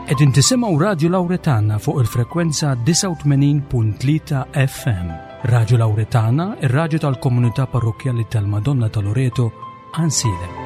Qegħdin tisimgħu Radju Lawretana fuq il-frekwenza 89.3 FM. Radju Lawretana, ir-radju tal-komunità parrokkjali tal-Madonna ta' Loreto, Ansiedem.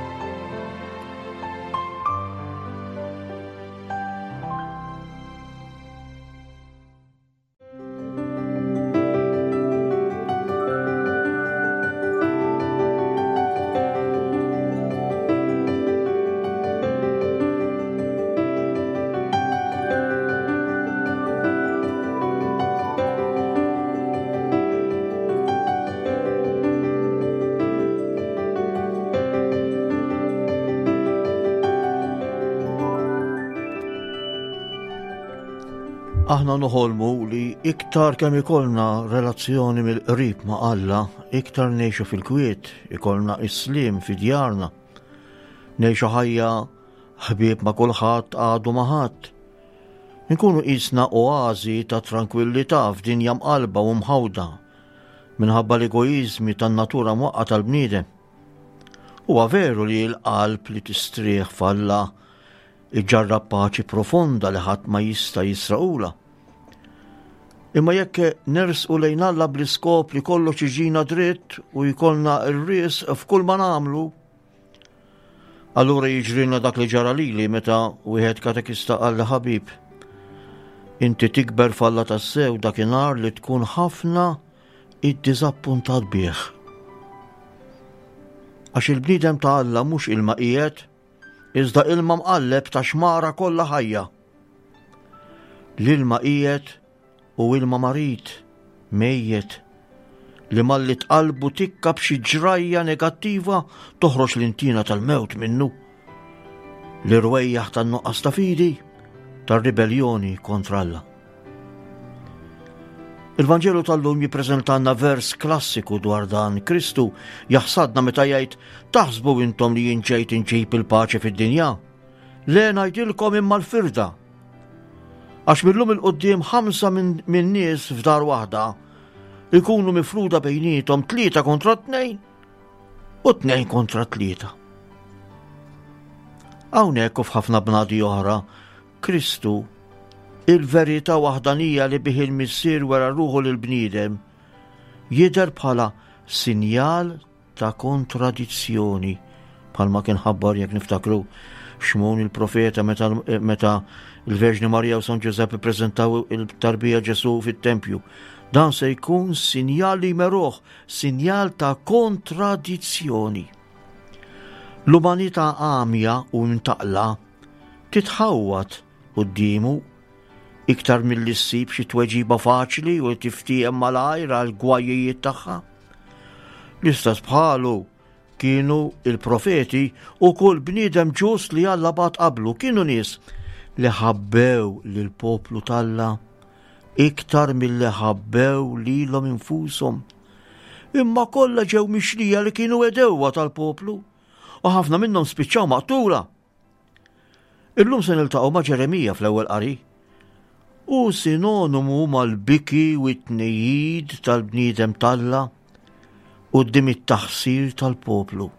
Aħna noħolmu li iktar kemm ikollna relazzjoni mill-qrib ma' Alla, iktar ngħixu fil-kwiet, ikollna is-slim fi djarna. Ngħixu ħajja ħbieb ma' kulħadd għadu ma' ħadd. Inkunu qisna oażi ta' trankwillità f'dinja mqalba u mħawda minħabba l-egoiżmi tan-natura mwaqqa tal-bniedem. Huwa veru li l-qalb li tistrieħ f'Alla iġġarrab paċi profonda li ħadd ma jista' jisraqula. Imma jekk nersqu lejn Alla bl-iskop li kollox iġina dritt u jkollna r-ris f'kull ma nagħmlu, Allura jiġrilna dak li ġara lili meta wieħed katekista qal li ħabib. Inti tikber falla tassew dakinhar li tkun ħafna iddiżappuntat bih. Għax il-bniedem ta' Alla mhux ilma qiegħed, iżda ilma mqalleb ta' xmara kollha ħajja. L-ilma qiegħed u ilma marid, mejjet, li malli tqallbu tikka b'xi ġrajja negattiva toħroġ l-intina tal-mewt minnu. L-irwejjaħ tan-nuqqas ta' fidi, tar-ribelljoni kontra Alla. Il-Vanġelu tal-lum jippreżentanna vers klassiku dwar dan. Kristu jaħsadna meta jgħid taħsbu intom li jien ġejt inġib il-paċi fid-dinja. Le ngħidilkom imma l-firda. Għax millum il-qoddim ħamsa minn nies f'dar waħda ikunu mifruda bejnietom tlieta kontra tnejn u tnejn kontra tlieta. Hawnhekk u f'ħafna bnadi oħra, Kristu, il-verità waħdanija li bih il-Missier wera ruħu lill-bniedem, jidher bħala sinjal ta' kontradizzjoni, bħalma kien ħabbar jekk niftakru Xmun il-profeta meta, meta il-Verġni Marija u San Ġużepp ippreżentaw il-tarbija Ġesu fit-tempju. Dan se jkun sinjal li jmeruh, sinjal ta' kontradizzjoni. L-umanità għamja u mtaqla titħawwad quddiemu iktar milli ssib xi tweġiba faċli u tiftiehem malajr għal gwajijiet tagħha. L-istess bħalu kienu il-profeti u kull bniedem ġust li Alla bagħat qablu kienu nies li ħabbew lill-poplu t'Alla iktar milli ħabbew lilhom infushom. Imma kollha ġew mixlija li kienu edewwa tal-poplu u ħafna minnhom spiċċaw maqtula. Illum se niltaqgħu ma' Ġeremija fl-ewwel qari. Hu sinonimu mal-biki u t-tnejjid tal-bniedem t'Alla quddiem it-taħsir tal-poplu.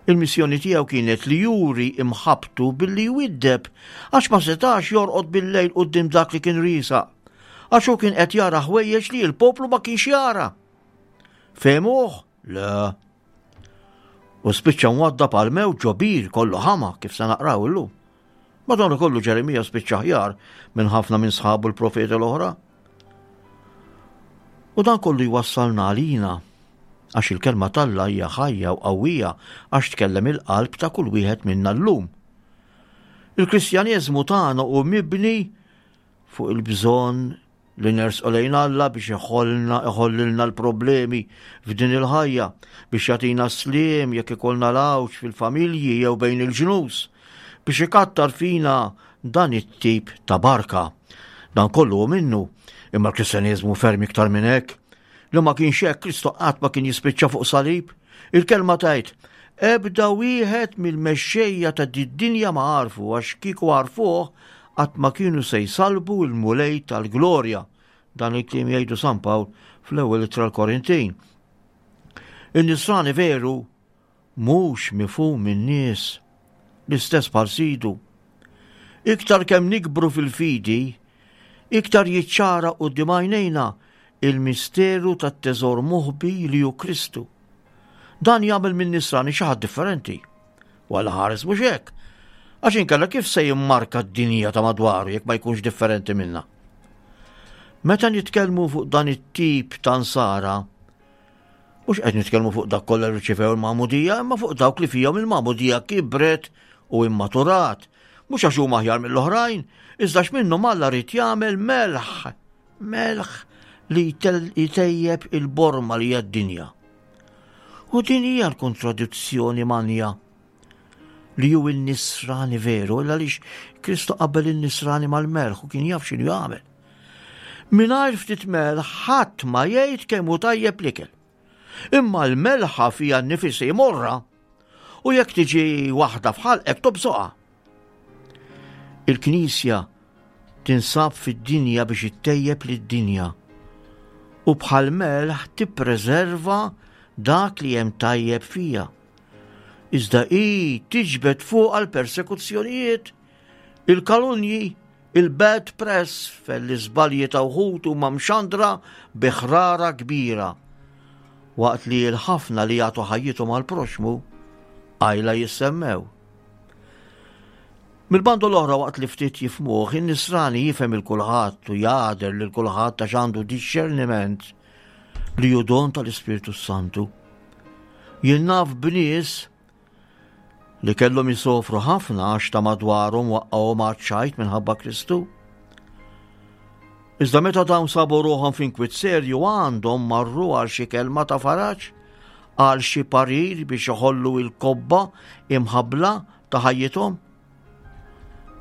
Il-missjoni tiegħu kienet li juri imħabbtu billi jwiddeb għax ma setax jorqod bil-lejl quddiem dak li kien riesaq. Għax hu kien qed jara ħwejjeġ li l-poplu ma kienx jara. Fehmuh? Le. U spiċċa mwaddab għal mewt ġo bir kollu ħama kif se naqraw illum. Madonna kollu Ġeremija spiċċa ħjar minn ħafna minn sħabu l-profeti l-oħra. U dan kollu jwassalna għalina għax il-kelma t'Alla hija ħajja u qawwija għax tkellem il-qalb ta' kull wieħed minna llum. Il-Kristjaneżmu tagħna hu mibni fuq il-bżonn li nersqu lejn Alla biex iħollna iħollilna l-problemi f'din il-ħajja, biex jagħtina sliem jekk ikollna l-għawġ fil-familji jew bejn il-ġnus, biex ikattar fina dan it-tip ta' barka. Dan kollu hu minnu, imma l-Kristjaneżmu ferm iktar minn hekk. Li ma kienx hekk Kristu qatt ma kien jispiċċa fuq salib. Il-kelma tgħid, ebda wieħed mill-mexxejja ta' did-dinja ma għarfu għax kieku għarfuh qatt ma kienu se jsallbu l-Mulej tal-glorja. Dan il-kliem jgħidu San Pawl fl-ewwel ittra l-Korintin. In-nisrani veru mhux mifhum min-nies, l-istess bħal sidu. Iktar kemm nikbru fil-fidi, iktar jiċċara quddiem għajnejna il-misteru tat-teżor moħbi li hu Kristu. Dan jagħmel minn nisrani xi ħadd differenti. U Alla ħares mhux hekk. Għax inkella kif se jimmarka d-dinja ta' madwaru jekk ma jkunx differenti minna? Meta nitkellmu fuq dan it-tip ta' nsara, mhux qed nitkellmu fuq dak kollha li rċivew il-magħmudija, imma fuq dawk li fihom il-magħmudija kibret u immaturat. Mhux għax huma aħjar mill-oħrajn, iżda x'minnhom Alla rid jagħmel melħ, melħ li jtejjeb il-borma li hija d-dinja. U din hija l-kontradizzjoni manja li hu n-nisrani veru, illa għaliex Kristu qabel in-nisrani mal-melħ u kien jaf x'inhu jagħmel. Mingħajr ftit melħ ħadd ma jgħid kemm hu tajjeb l-ikel. Imma l-melħa fija nnifisha morra u jekk tiġi waħda f'ħalqek tobsoqha. Il-Knisja tinsab fid-dinja biex ittejjeb lid-dinja u bħal melħ tippreserva dak li hemm tajjeb fija. Iżda hi tiġbed fuqha l-persekuzzjonijiet, il-kalunji, il-bad press fejn l-iżbalji ta' wħud huma mxandra bi ħrara kbira, waqt li l-ħafna li jagħtu ħajjithom għall-proxxmu qajla jissemmew. Mill-banda l-oħra waqt li ftit jifhmuh, in-nisrani jifhem il kulħadd u jagħder lil kulħadd għax għandu dixxerniment li hu don tal-Ispirtu Santu. Jien naf b'nies li kellhom jisofru ħafna għax ta' madwarhom waqqgħuhom għaċ-ċajt minħabba Kristu. Iżda meta dawn sabu ruħhom f'inkwiet serju għandhom marru għal xi kelma ta' faraġ, għal xi parir biex iħollu il-kobba imħabbla ta' ħajjithom.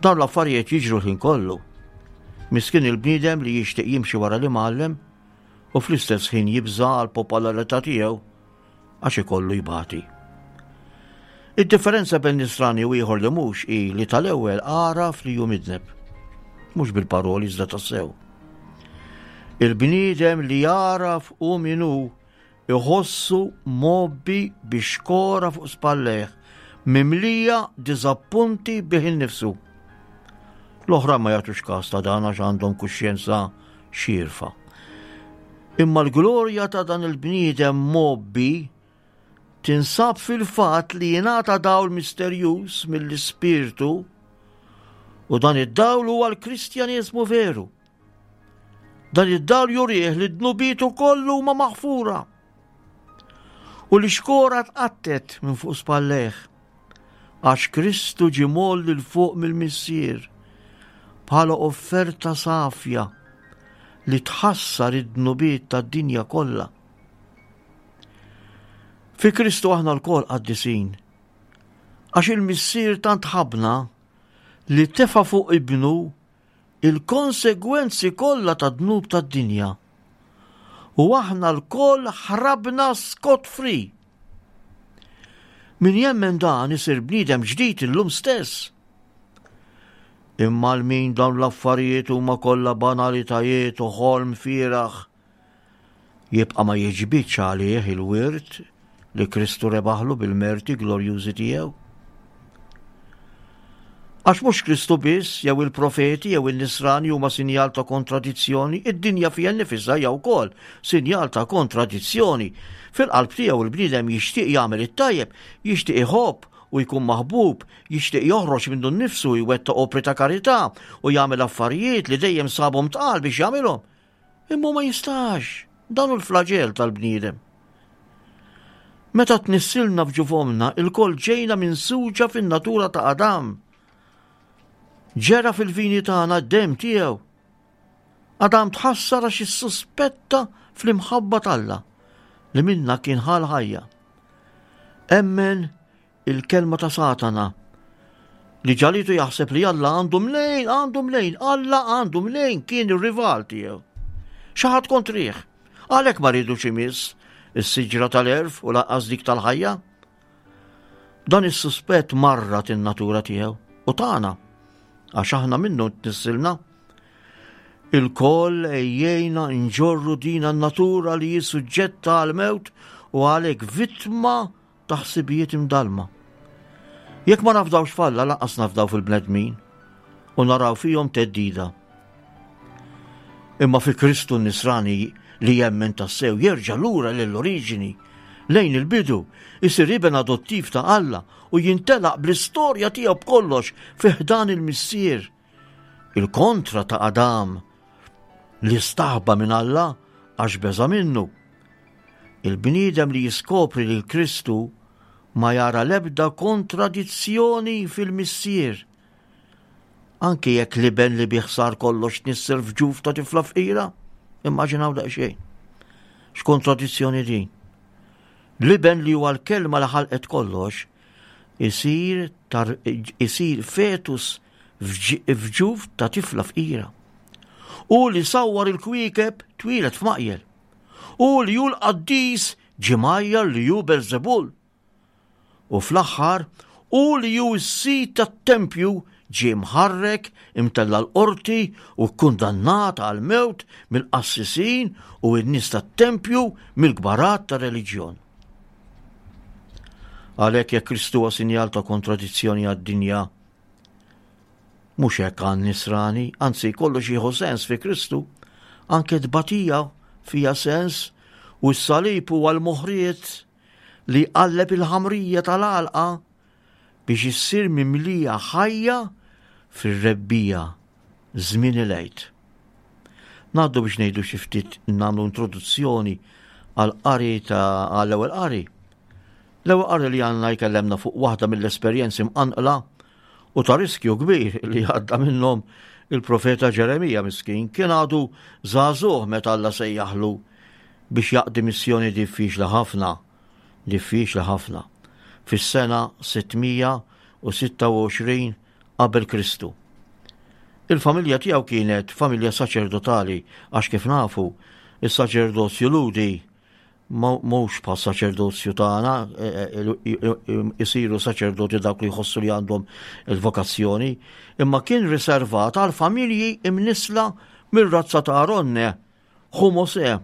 Dawn l-affarijiet jiġru l-ħin kollu. Miskin il-bniedem li jixtieq jimxi wara l-imgħallem u fl-istess ħin jibża' għall-popolarità tiegħu għax ikollu jbati. Id-differenza bejn nisrani u ieħor li mhux hi li tal-ewwel għaraf li hu midneb. Mhux bil-paroli iżda tassew. Il-bniedem li jagħraf hu min hu iħossu mgħobbi bi xkora fuq spallejh, mimlija diżappunti bih innifsu. L-oħra ma jagħtux każ ta' dan għax għandhom kuxjenza xierfa. Imma l-glorja ta' dan il-bniedem mgħobbi tinsab fil-fatt li jingħata dawl misterjuż mill-Ispirtu u dan id-dawl huwa l-Kristjaneżmu veru. Dan id-dawl jurih li dnubietu kollu huma maħfura u li xkora tqattet minn fuq spallejh għax Kristu ġie mgħolli 'l fuq mill-Missier bħala offerta safja li tħassar id-dnubiet tad-dinja kollha. Fi Kristu aħna lkoll qaddisin, għax il-Missier tant ħabbna li tefa' fuq ibnu il-konsegwenzi kollha tad-dnub tad-dinja. U aħna lkoll ħrabna scot free. Min jemmen dan isir bniedem ġdid illum stess. Imma għal min dawn l-affarijiet huma kollha banalitajiet u ħolm fieragħ, jibqa' ma jiġbidx għalih il-wirt li Kristu rebaħlu bil-merti glorjużi tiegħu. Għax mhux Kristu biss, jew il-profeti, jew in-nisrani huma sinjal ta' kontradizzjoni, id-dinja fiha nnifisha hija wkoll sinjal ta' kontradizzjoni. Fil-qalb tiegħu l-bniedem jixtieq jagħmel it-tajjeb, jixtieq iħobb u jkun maħbub, jixtieq joħroġ minnu nnifsu jwettaq opri ta' karità u jagħmel affarijiet li dejjem sabhom tqal biex jagħmilhom. Imma ma jistax, dan hu l-flaġell tal-bniedem. Meta tnissilna f'ġuf ommna, ilkoll ġejna minsuġa fin-natura ta' Adam. Ġera fil-vini tagħna d-demm tiegħu. Adam tħassar għax issuspetta fl-imħabba t'Alla li minna kien ħal ħajja. Emmen il-kelma ta' Satana li ġalitu jaħseb li Alla għandu mnejn, għandu mnejn, Alla għandu mnejn kien ir-rival tiegħu. Xi ħadd kontrih. Għalhekk ma rridux imiss is-siġra tal-erf u lanqas dik tal-ħajja. Dan is-suspett marrat in-natura tiegħu u tagħna għax aħna minnu tnissilna. Il-koll ejjejna nġorru din n-natura li hi suġġetta għal-mewt u għalhekk vittma ta' ħsibijiet imdallma. Jekk ma nafdawx f'Alla lanqas nafdaw fil-bnedmin. u naraw fihom theddida. Imma fi Kristu n-nisrani li jemmen tassew jerġa' lura lill-oriġini, lejn il-bidu, isir iben adottiv ta' Alla u jintelaq bl-istorja tiegħu b'kollox fi ħdan il-Missier. Il-kontra ta' Adam li staħba minn Alla għax beża' minnu. Il-bniedem li jiskopri lil Kristu ma jara l-ebda kontradizzjoni fil-Missier. Anki jekk l-iben li bih sar kollox tnissel f'ġuf ta' tifla fqira, immaġinaw daqsxejn. X'kontradizzjoni din? L-iben li huwa l-kelma li ħalqet kollox isir tar, isir fetus f'ġuf ta' tifla fqira. U li sawwar il-kwiekeb twieled f'maqjel. U li hu l-qaddis ġie mgħajjar li hu Belzebul. U fl-aħħar, hu li hu s-sid tat-tempju ġie mħarrek, imtella' l-qorti u kkundannat għall-mewt mill-qassisin u n-nies tat-tempju mill-kbarat tar-reliġjon. Għalhekk jekk Kristu huwa sinjal ta' kontradizzjoni għad-dinja, Mhux hekk għan-nisrani, anzi kollox jieħu sens fi Kristu, anke tbatija fiha sens u s-salib huwa l-moħriet li jqalleb il-ħamrija tal-għalqa biex issir mimlija ħajja fir-rebbiegħa żmien il-Għid. Ngħaddu biex ngħidu xi ftit nagħmlu introduzzjoni għall-qari ta' għall-ewwel qari. L-ewwel qari li għandna jkellemna fuq waħda mill-esperjenzi mqanqla u ta' riskju kbir li għadda minnhom il-profeta Ġeremija miskin kien għadu żagħżugħ meta Alla sejjaħlu biex jaqdi missjoni diffiċli ħafna, diffiċli ħafna, fis-sena 626 qabel Kristu. Il-familja tiegħu kienet familja saċerdotali għax kif nafu, is-saċerdozju Lhudi mhux bħal saċerdozju tagħna e, e, e, isiru saċerdoti dawk li jħossu li għandhom il-vokazzjoni, imma kien riservat għal familji imnisla mir-razza ta' Aronne, ħu Mosè.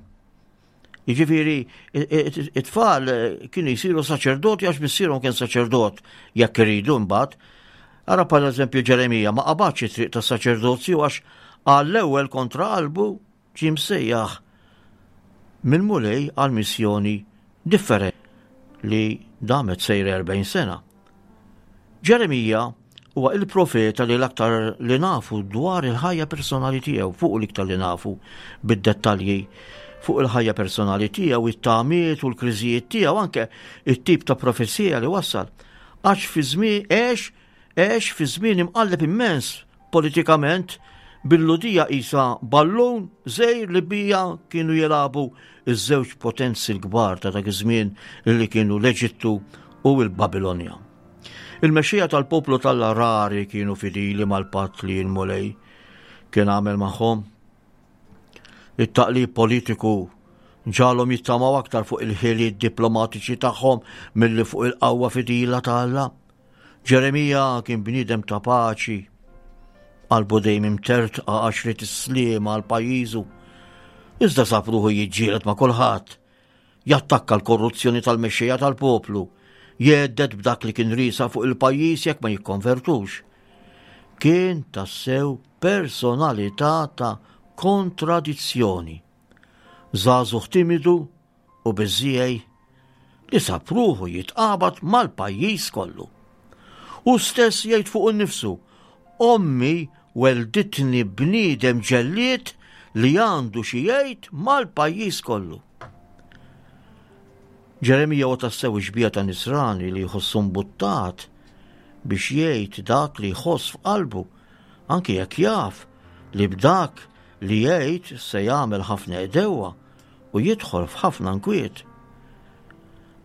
Jiġifieri it-tfal kienu jsiru saċerdoti għax missierhom kien saċerdot jekk iridu mbagħad. Ara bħal eżempju Ġeremija ma qabadx it-triq tas-saċerdozju għax għall-ewwel kontra qalbu ġie msejjaħ mill-Mulej għal missjoni differenti li damet sejra 40 sena. Ġeremija huwa il-profeta li l-aktar li nafu dwar il-ħajja personali tiegħu, fuq l-iktar li nafu bid-dettalji fuq il-ħajja personali tiegħu, it-tamiet u l-kriżijiet tiegħu, anke it-tip ta' profezija li wassal. Għax fi żmien għex għex fi żmien imqalleb immens Politikament, bil-Lhudija qisha ballun żgħir li bija kienu jilagħbu ż-żewġ potenzi l-kbar ta' dak iż-żmien li kienu l-Eġittu u l-Babilonja. Il-mexxejja tal-poplu t'Alla rari kienu fidili mal-patt li l-Mulej kien għamel magħhom. It-taqlib politiku ġagħalhom jittamaw aktar fuq il-ħiliet diplomatiċi tagħhom milli fuq il-qawwa fidila ta' Alla. Ġeremija kien bniedem ta' paċi, qalbu dejjem imtertqa għax ried is-sliem għal pajjiżu. Iżda sab ruħu jiġġieled ma' kulħadd, jattakka l-korruzzjoni tal-mexxejja tal-poplu, jgħedded b'dak li kien riesa fuq il-pajjiż jekk ma jikkonvertux. Kien tassew personalità ta' kontradizzjoni. Żagħżugħ timidu u biżżiegħi li sab ruħu jitqabad mal-pajjiż kollu. Hu stess jgħid fuqu nnifsu, Ommi welditni bniedem ġellied li għandu xi jgħid mal-pajjiż kollu. Ġeremija huwa tassew ix-xbieha ta' nisrani li jħossu mbuttat biex jgħid dak li jħoss f'qalbu, anki jekk jaf li b'dak li jgħid se jagħmel ħafna għedewwa u jidħol f'ħafna nkwiet.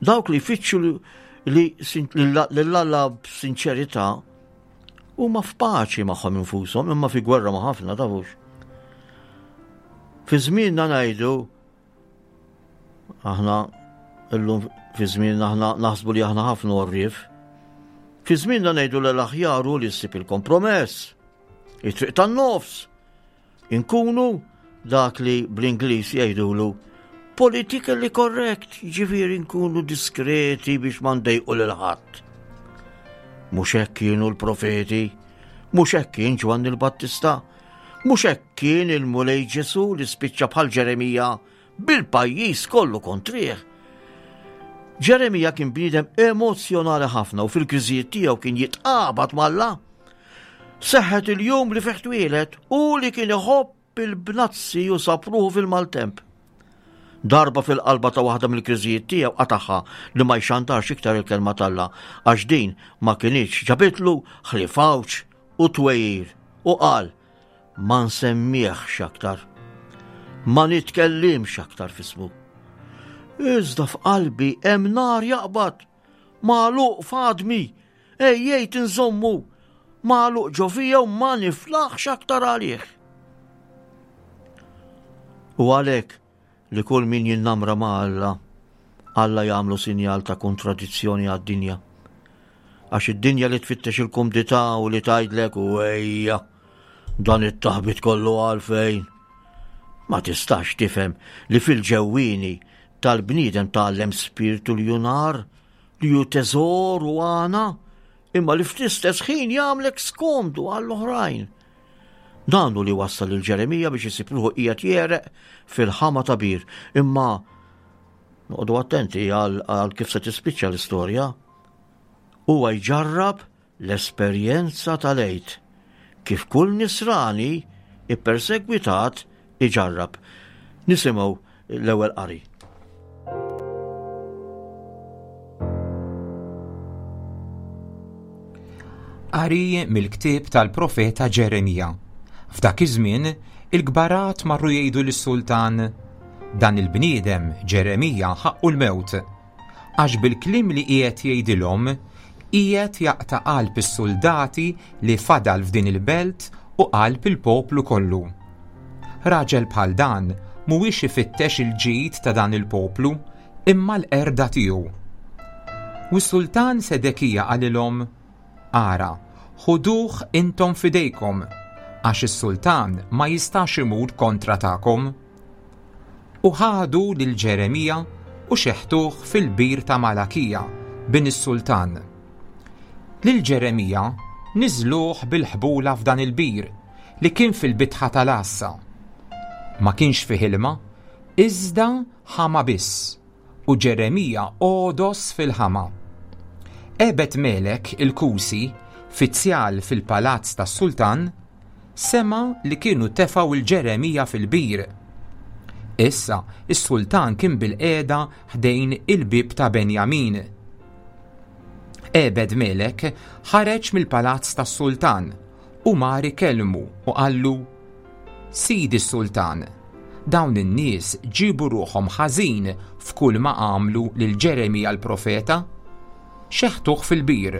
Dawk li jfittxu li lil Alla b'sinċerità huma f'paċi magħhom infushom imma fi gwerra ma' ħafna tafux. Fi żmienna ngħidu aħna illum fi żmienna aħna naħsbu li aħna ħafna għorrief. Fi żmienna ngħidu l aħjar hu li ssib il-kompromess, it-triq tan-nofs, Inkunu dak li bl-Ingliż jgħidulu politically correct, jiġifieri nkunu diskreti biex ma ndejqu lil ħadd. Mhux hekk kienu l-profeti, Mhux hekk kien Ġwanni l-Battista, mhux hekk kien il-Mulej Ġesù li spiċċa bħal Ġeremija bil-pajjiż kollu kontrih. Ġeremija kien bniedem emozzjonali ħafna u fil-kriżijiet tiegħu kien jitqabad m'Alla. Seħħet il-jum li fih twieled u li kien iħobb il-bnazzi u sab ruħu fil-maltemp. Darba fil-qalba ta' waħda mill-kriżijiet tiegħu qatagħha li ma jxandarx iktar il-kelma t'Alla għax din ma kinitx ġabitlu ħlief għawġ u twegħir u qal ma nsemmihx aktar. Ma nitkellimx aktar f'ismu. Iżda f'qalbi hemm nar jaqbad, magħluq f'għadmi, ejjejt inżommu, magħluq ġo fija u ma niflaħx aktar għalih. U għalhekk li kull min jinnamra ma' Alla, Alla jagħmlu sinjal ta' kontradizzjoni għad-dinja. Għax id-dinja li tfittex il-kumdità u li tgħidlek u ejja, dan it-taħbit kollu għalfejn. Ma tistax tifhem li fil-ġewwieni tal-bniedem tgħallem spirtu li hu nar, li hu teżor u għana, imma li fl-istess ħin jagħmlek skomdu għall-oħrajn. Dan hu li wassal lil Ġeremija biex isib ruħu qiegħed jegħreq fil-ħama ta' bir. Imma noqogħdu attenti għal kif se tispiċċa l-istorja. Huwa jġarrab l-esperjenza tal-Għid kif kull nisrani ippersegwitat iġarrab. Nisimgħu l-ewwel qari. Qari mill-ktieb tal-profeta Ġeremija. F'dak iż-żmien, il-kbarat marru jgħidu lis-sultan, Dan il-bniedem, Ġeremija, ħaqqu l-mewt. Għax bil-kliem li qiegħed jgħidilhom, qiegħed jaqta' qalb is-suldati li fadal f'din il-belt u qalb il-poplu kollu. Raġel bħal dan mhuwiex ifittex il-ġid ta' dan il-poplu, imma l-qerda tiegħu. U s-sultan Sedekija qalilhom, Ara, ħuduh intom f'idejkom, għax is-sultan ma jistax imur kontra tagħkom. U ħadu lil Ġeremija u xeħtuh fil-bir ta' Malakija, bin is-sultan. Lil Ġeremija niżluh bil-ħbula f'dan il-bir, li kien fil-bitħa tal-għassa. Ma kienx fih ilma, iżda ħama biss, u Ġeremija għodos fil-ħama. Ebed-Melek il-Kusi, fizzjal fil-palazz tas-sultan, sema' li kienu tefgħu 'l Ġeremija fil-bir. Issa s-sultan kien bilqiegħda ħdejn il-bieb ta' Benjamin. Ebed-Melek ħareġ mill-palazz tas-sultan u mar ikellmu u qallu, Sidi s-sultan, dawn in-nies ġiebu ruħhom ħażin f'kulma għamlu lil Ġeremija l-profeta. Xeħtuh fil-bir,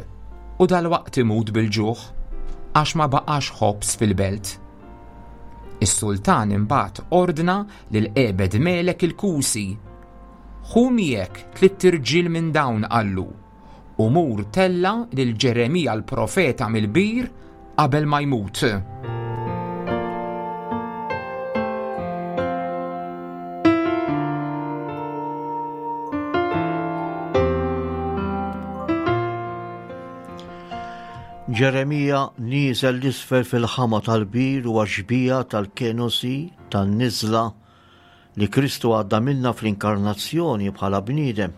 u dalwaqt imut bil-ġuħ, għax ma baqax ħobż fil-belt. Is-sultan imbagħad ordna lil Ebed-Melek il-Kusi, Ħu miegħek tlitt irġiel minn dawn qallu, U mur tella' lil Ġeremija l-profeta mill-bir qabel ma jmut. Ġeremija nieżel l-isfel fil-ħama tal-bir u għax-xbieha tal-kenosi tan-niżla li Kristu għadda minnha fl-inkarnazzjoni bħala bniedem,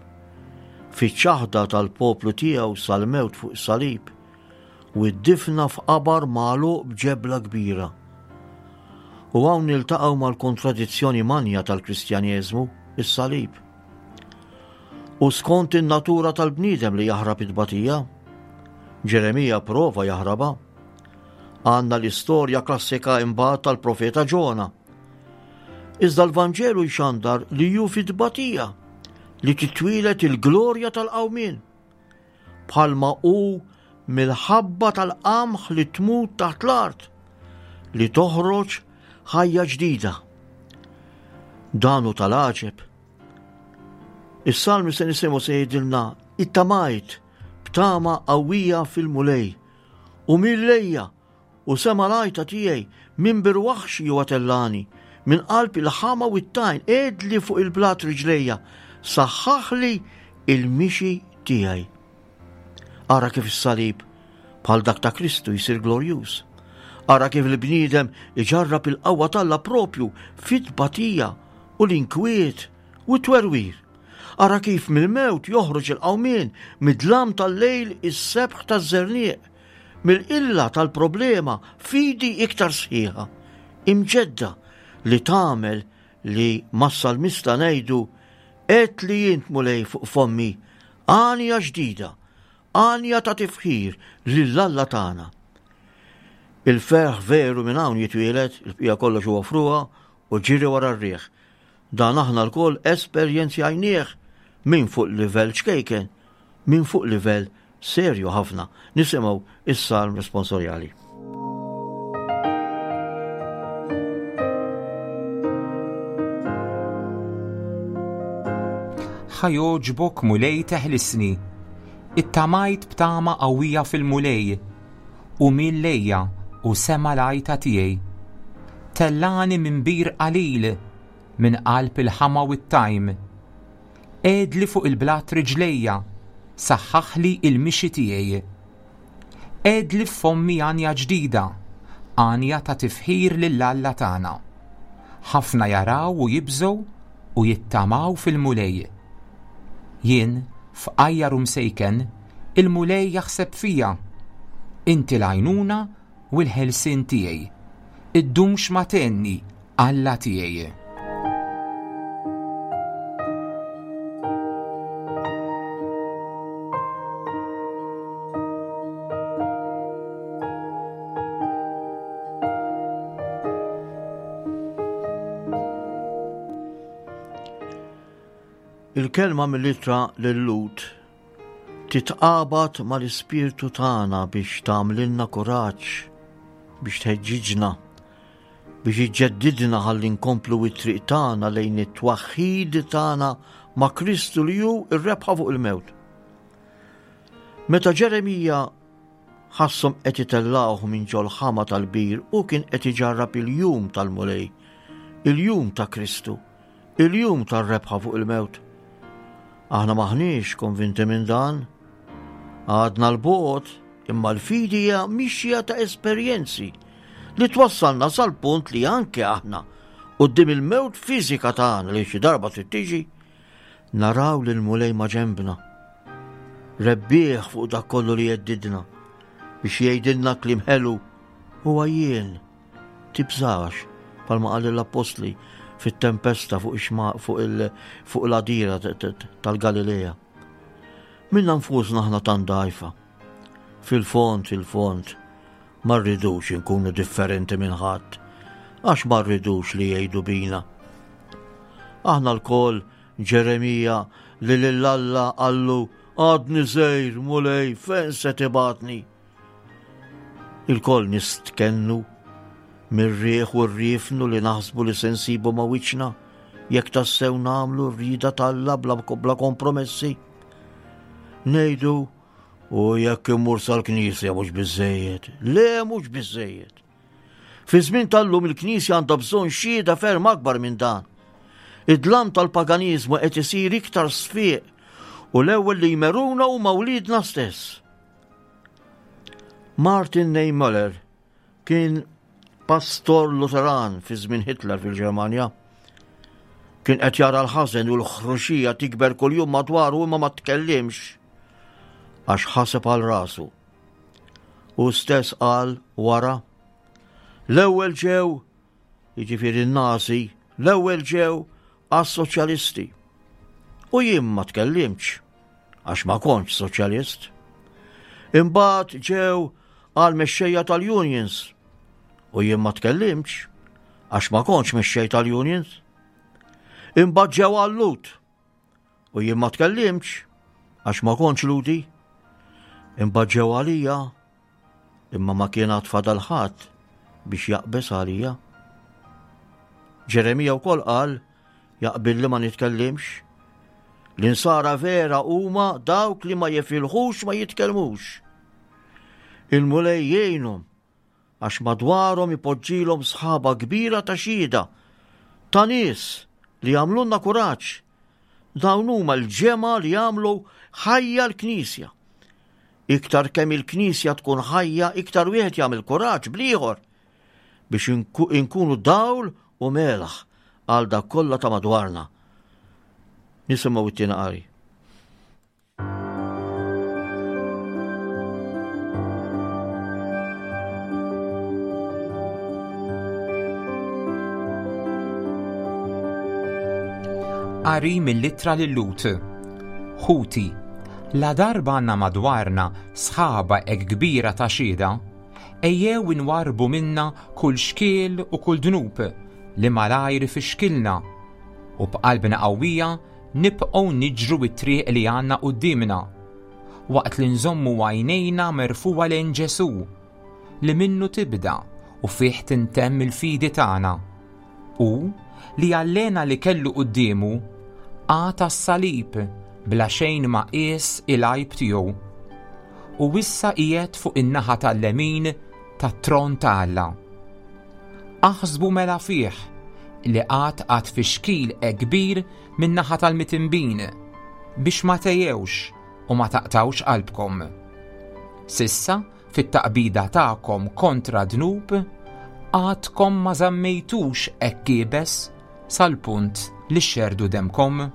fiċ-ċaħda tal-poplu tiegħu sal-mewt fuq is-salib, u d-difna f'qabar magħluq b'ġebla kbira. U hawn niltaqgħu mal-kontradizzjoni manja tal-Kristjaneżmu, is-salib. U skont in-natura tal-bniedem li jaħrab it-tbatija, Ġeremija prova jaħrabha. Għandna l-istorja klassika imbagħad tal-profeta Ġona Iżda l-Vanġelu jxandar li hu fit-tbatija li titwieled il-glorja tal-qawmien. Bħalma hu mill-ħabba tal-qamħ li tmut taħt l-art li toħroġ ħajja ġdida. Dan hu tal-għaġeb. Is-salmi se nisimgħu se jgħidilna ittamajt b'tama qawwija fil-Mulej u mill-lejja U sema' l-għajta tiegħi minn bir waħxi huwa tellagħni, minn qalb il-ħama u t-tajn qegħedli fuq il-blat riġlejja, saħħaħli il-mixi tiegħi. Ara kif is-salib Bħal dak ta' Kristu jsir glorjuż. Ara kif il-bniedem iġarrab il-qawwa t'Alla propju fit-tbatija u l-inkwiet u t-twerwir. Ara kif mill-mewt joħroġ il-qawmien, mid-dlam tal-lejl is-sebħ taż-żerniq, mill-qilla tal-problema fidi iktar sħiħa, imġedda li tagħmel li mas-salmista ngħidu Għedt li int Mulej fuq fommi għanja ġdida, għanja ta' tifħir lil Alla tagħna. Il-ferħ veru minn hawn jitwieled, il-bqija kollox huwa frugħa u ġiri wara r-riħ. Dan aħna lkoll esperjenzjajnieh min fuq livell ċkejken, min fuq livell serju ħafna. Nisimgħu is-salm responsorjali. Ħa jogħġbok Mulej teħlisni. Ittamajt b'tama qawwija fil-Mulej, u miel lejja u sema' l-għajta tiegħi. Tellagħni minn bir qalil, minn qalb il-ħama u t-tajm. Qegħedli fuq il-blat riġlejja, saħħaħli il-mixi tiegħi. Qegħedli f'fommi għanja ġdida, għanja ta' tifħir lil Alla tagħna. Ħafna jaraw u jibżgħu u jittamaw fil-Mulej. Jien, fqajjar u msejken, il-Mulej jaħseb fija. Inti l-għajnuna u l-ħelsien tiegħi. Iddumx ma tgħinni, Alla tiegħi. Il-kelma mill-ittra lil-Lut titqabad mal-ispirtu tagħna biex tagħmlilna kuraġġ, biex tħeġġiġna, biex iġġeddidna ħalli nkomplu it-triq tagħna lejn it-twaħħid tagħna ma' Kristu li hu r-rebħa fuq il-mewt. Meta Ġeremija ħasshom qed itellgħuh minn ġol-ħama tal-bir u kien qed iġarrab il-jum tal-Mulej, il-jum ta' Kristu, il-jum tar-rebħa fuq il-mewt. Aħna maħniex konvinti minn dan. Għadna l-bogħod imma l-fidi hija mixja ta' esperjenzi li twassalna sal-punt li anke aħna quddiem il-mewt fiżika tagħna li xi darba trid tiġi, naraw lil Mulej ma' ġenbna. Rebbieħ fuq dak kollu li jeddidna biex jgħidilna kliem ħelu huwa jien. Tibżax, palma qal l-appostli fit-tempesta fuq fuq fuq l-għadira tal-Galilea. Minna nfusna aħna tant dgħajfa. Fil-fond, fil-fond, ma rridux inkunu differenti minn ħadd, għax ma rridux li jgħidu bina. Aħna lkoll Ġeremija li lil Alla qallu għadni żgħir Mulej fejn se tibgħatni. Ilkoll nistkennu mir-riħ u r-riefnu li naħsbu li se nsibu ma' wiċċna jekk tassew nagħmlu r-rieda t'Alla bla, bla kompromessi. Ngħidu u jekk immur sal-knisja mhux biżejjed. Le mhux biżejjed. Fi żmien tal-lum il-Knisja għandha bżonn xhieda ferm akbar minn dan. Id-dlam tal-paganiżmu qed isir iktar sfiq u l-ewwel li jmeruna huma wliedna stess. Martin Niemöller kien pastor Lutheran fi żmien Hitler fil-Ġermanja. Kien qed jara l-ħażen u l-ħruxija tikber kuljum madwaru imma ma tkellimx għax ħaseb għal rasu. Hu stess qal wara, l-ewwel ġew, jiġifieri n-Nazi, l-ewwel ġew għas-soċjalisti. U jien ma tkellimtx għax ma kontx soċjalist. Imbagħad ġew għal mexxejja tal-unions u jien ma tkellimtx għax ma kontx mexxej tal-unions. Imbagħad ġew għal-Lut u jien ma tkellimtx għax ma kontx Ludi. Imbagħad ġew għalija imma ma kien għad fadal ħadd biex jaqbeż għalija. Ġeremija wkoll qal jaqbilli ma nitkellimx. L-insara vera huma dawk li ma jifilħux ma jitkellmux. Il-Mulej jgħinhom għax madwarhom ipoġġilhom sħaba kbira ta' xhieda ta' nies li jagħmlulna kuraġġ. Dawn huma l-ġemgħa li jagħmlu ħajja l-Knisja. Iktar kemm il-Knisja tkun ħajja, iktar wieħed jagħmel kuraġġ bl-ieħor biex inkunu dawl u melħ għal dak kollha ta' madwarna. Nisimgħu it-tieni qari. Qari mill-ittra lil Lut. Ħuti, la darba għandna madwarna sħaba hekk kbira ta' xhieda, ejjew inwarrbu minna kull xkiel u kull dnub li malajr ifixkilna, u b'qalbna qawwija nibqgħu niġru t-triq li għandna quddiemna, waqt li nżommu għajnejna merfugħa lejn Ġesù, li minnu tibda u fih tintemm il-fidi tagħna. Hu li għall-hena li kellu quddiemu qagħad għas-salib bla xejn ma qies il-għajb tiegħu. U issa qiegħed fuq in-naħa tal-lemin tat-tron ta' Alla. Aħsbu mela fih li qagħad għad fixkil hekk kbir min-naħa tal-mitinbin biex ma tgħejjewx u ma taqtgħux qalbkom. S'issa fit-taqbida tagħkom kontra d-dnub, għadkom ma żammejtux hekk iebes sal-punt li xxerrdu demmkom.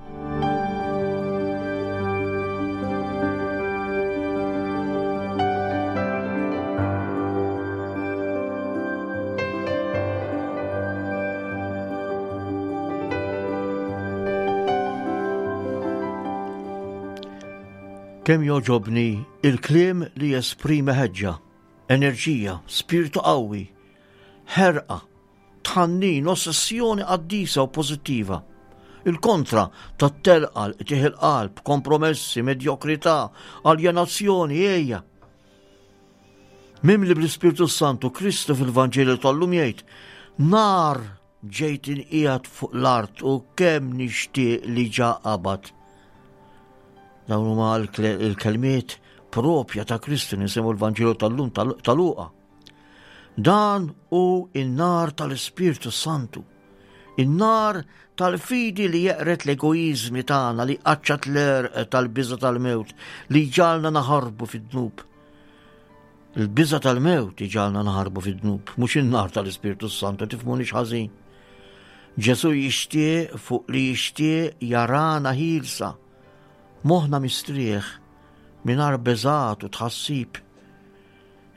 Kemm jogħġobni il-kliem li jesprimi ħeġġa, enerġija, spirtu qawwi, ħerqa, tħannin, ossessjoni qaddisa u pożittiva. Il-kontra tat-telqa, l-qtigħ il-qalb, kompromessi, medjokrità, aljenazzjoni, ejja. Mimli bl-Ispirtu Santu, Kristu fil-Vanġelu tal-lum jgħid, nar Ġejt inqiegħed fuq l-art u kemm nixtieq li ġa qabad. Dawn huma l-kelmiet propja ta' Kristu nisimgħu l-Vanġelu tal-lum ta' Luqa. Dan hu in-nar tal-Ispirtu Santu. In-nar tal-fidi li jeqret l-egoizmi tagħna li qaċċat l-erq tal-biża tal-mewt li ġalna naħarbu fid-dnub. Il-biża' tal-mewt iġagħalna naħarbu fid-dnub, mhux in-nar tal-Ispirtu Santu, tifhmunix ħażin. Ġesù jixtieq fuq li jixtieq jarana ħielsa, moħħna mistrieħ, mingħajr beżgħat u tħassib.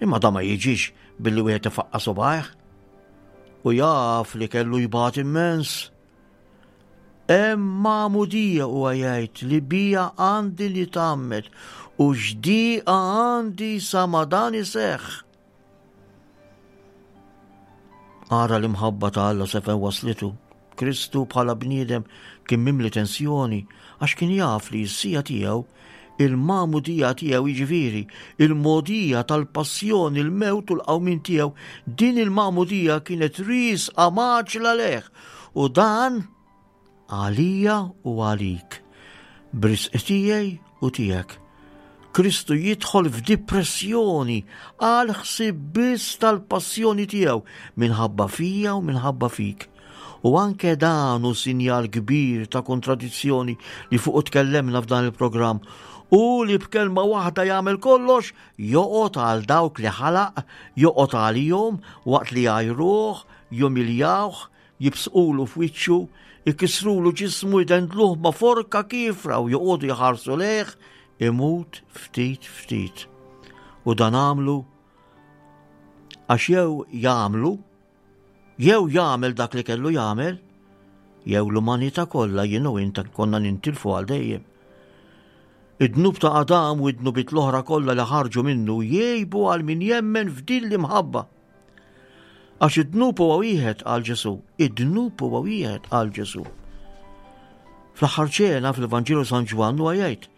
Imma da ma jiġix billi wieħed ifaqqa' subgħajh u jaf li kellu jbati immens. Hemm magħmudija huwa jgħid li bija għandi nitgħammed u x'dieqa għandi sa ma dan iseħħ. Ara l-imħabba ta' Alla se fejn waslitu. Kristu bħala bniedem kien mimli tensjoni għax kien jaf li s-sija tiegħu il-magħmudija tiegħu jiġifieri il-mogħdija tal-passjoni, il-mewt u l-qawmien tiegħu, din il-magħmudija kienet riesqa mgħaġġla lejh u dan għalija u għalik, b'risq tiegħi u tiegħek. Kristu jidħol f'dipressjoni għal ħsieb biss tal-passjoni tiegħu minħabba fija u minħabba fik. U anke dan hu sinjal kbir ta' kontradizzjoni li fuqu tkellemna f'dan il-programm. U li b'kelma waħda jagħmel kollox, joqgħod għal dawk li ħalaq, joqgħod għalihom waqt li jgħajruh, jumiljawh, jibsqulu f'wiċċu, ikissrulu ġismu, jdendluh ma' forka kiefra u joqogħdu jħarsu lejh, imut ftit ftit. U dan għamlu għax jew jagħmlu Jew jagħmel dak li kellu jagħmel, jew l-umanità kollha jien u int konna nintilfu għal dejjem. Id-dnub ta' Adam u id-dnubiet l-oħra kollha li ħarġu minnu jgħibu għal min jemmen f'din l-imħabba. Għax id-dnub huwa wieħed għal Ġesù, id-dnub huwa wieħed għal Ġesù. Fl-aħħar ċena fil-Vanġelu San Ġwann huwa jgħid,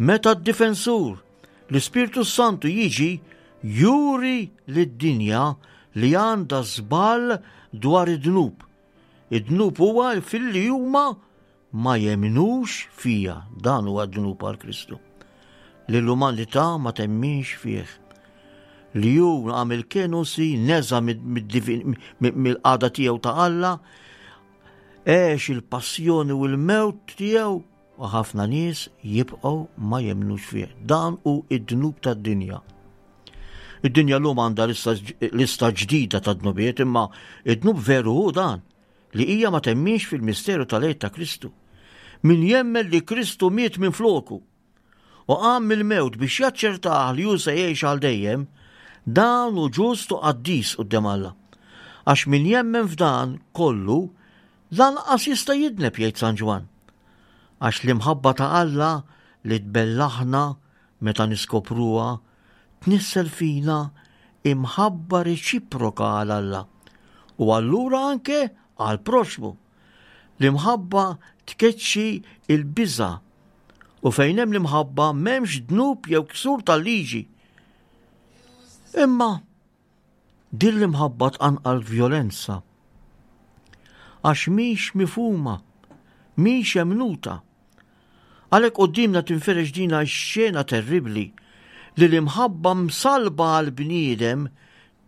meta d-difensur L-Ispirtu s-Santu jiġi juri lid-dinja li għandha żball dwar id-dnub. Id-dnub huwa filli huma ma jemnux fija. Dan huwa d-dnub għal Kristu. Li l-umanità ma temminx fih. Li hu għamil kenosi neża mill-qagħda tiegħu ta' Alla, għex il-passjoni u l-mewt tiegħu. U ħafna nies jibqgħu ma jemmnux fih. Dan hu id-dnub tad-dinja. Id-dinja llum għandha lista ġdida ta' dnubiet imma id-dnub veru hu dan li hija ma temminx fil-misteru tal-għid ta' Kristu. Min jemmen li Kristu miet minn floku u qam mill-mewt biex jaċċertah li hu se jgħix għal dejjem, dan hu ġust u qaddis quddiem Alla. Għax min jemmen f'dan kollu lanqas jista' jidneb jgħid San Ġwann. Għax l-imħabba ta' Alla li tbellaħna meta niskopruha tnissel fina imħabba reċiproka għal Alla u allura anke għall-proxxmu. L-imħabba tkeċċi l-biża' u fejn hemm l-imħabba m'hemmx dnub jew ksur tal-liġi. Imma din l-imħabba tqanqal vjolenza għax mhix mifhuma, mhix emnuta. Għalhekk quddiemna tinferex dina x-xena terribbli li l-imħabba msallba għall-bniedem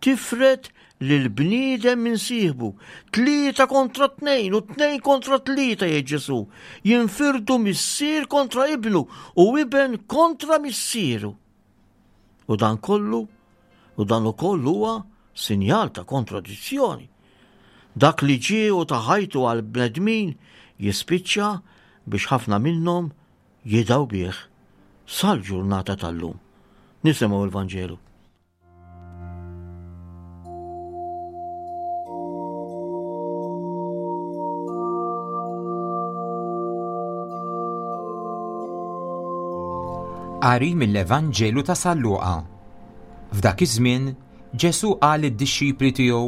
tifred lill-bniedem minn sieħbu. Tlieta kontra tnejn u tnejn kontra tlieta jgħid Ġesù. Jinfirdu missier kontra ibnu u iben kontra missieru. U dan kollu, u dan ukoll huwa sinjal ta' kontradizzjoni. Dak li ġie u ta ħajtu għal bnedmin jispiċċa biex ħafna minnhom jidgħu bih sal-ġurnata tal-lum. Nisimgħu l-Vanġelu. Qari mill-Evanġelu ta' San Luqa. F'dak iż-żmien Ġesù qal lid-dixxipli tiegħu,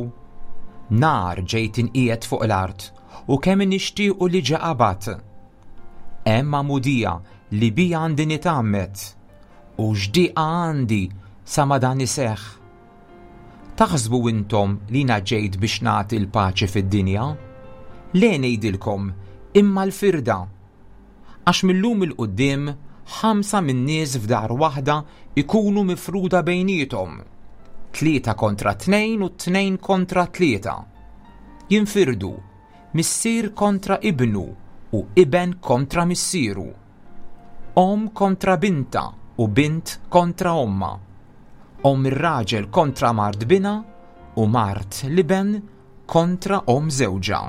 Nar ġejt inqiegħed fuq l-art u kemm nixtiequ li ġa qabad. Hemm magħmudija li bija għandi nitgħammed U x'dieqa għandi sa ma dan iseħħ! Taħsbu intom li jiena ġejt biex nagħti l-paċi fid-dinja? Le ngħidilkom, imma l-firda. Għax mil-lum 'il quddiem ħamsa min-nies f'dar waħda jkunu mifruda bejniethom, tlieta kontra tnejn u tnejn kontra tlieta. Jinfirdu, missier kontra ibnu u iben kontra missieru. Omm kontra bintha u bint kontra ommha. Omm ir-raġel kontra mart binha u mart l-iben kontra omm żewġha.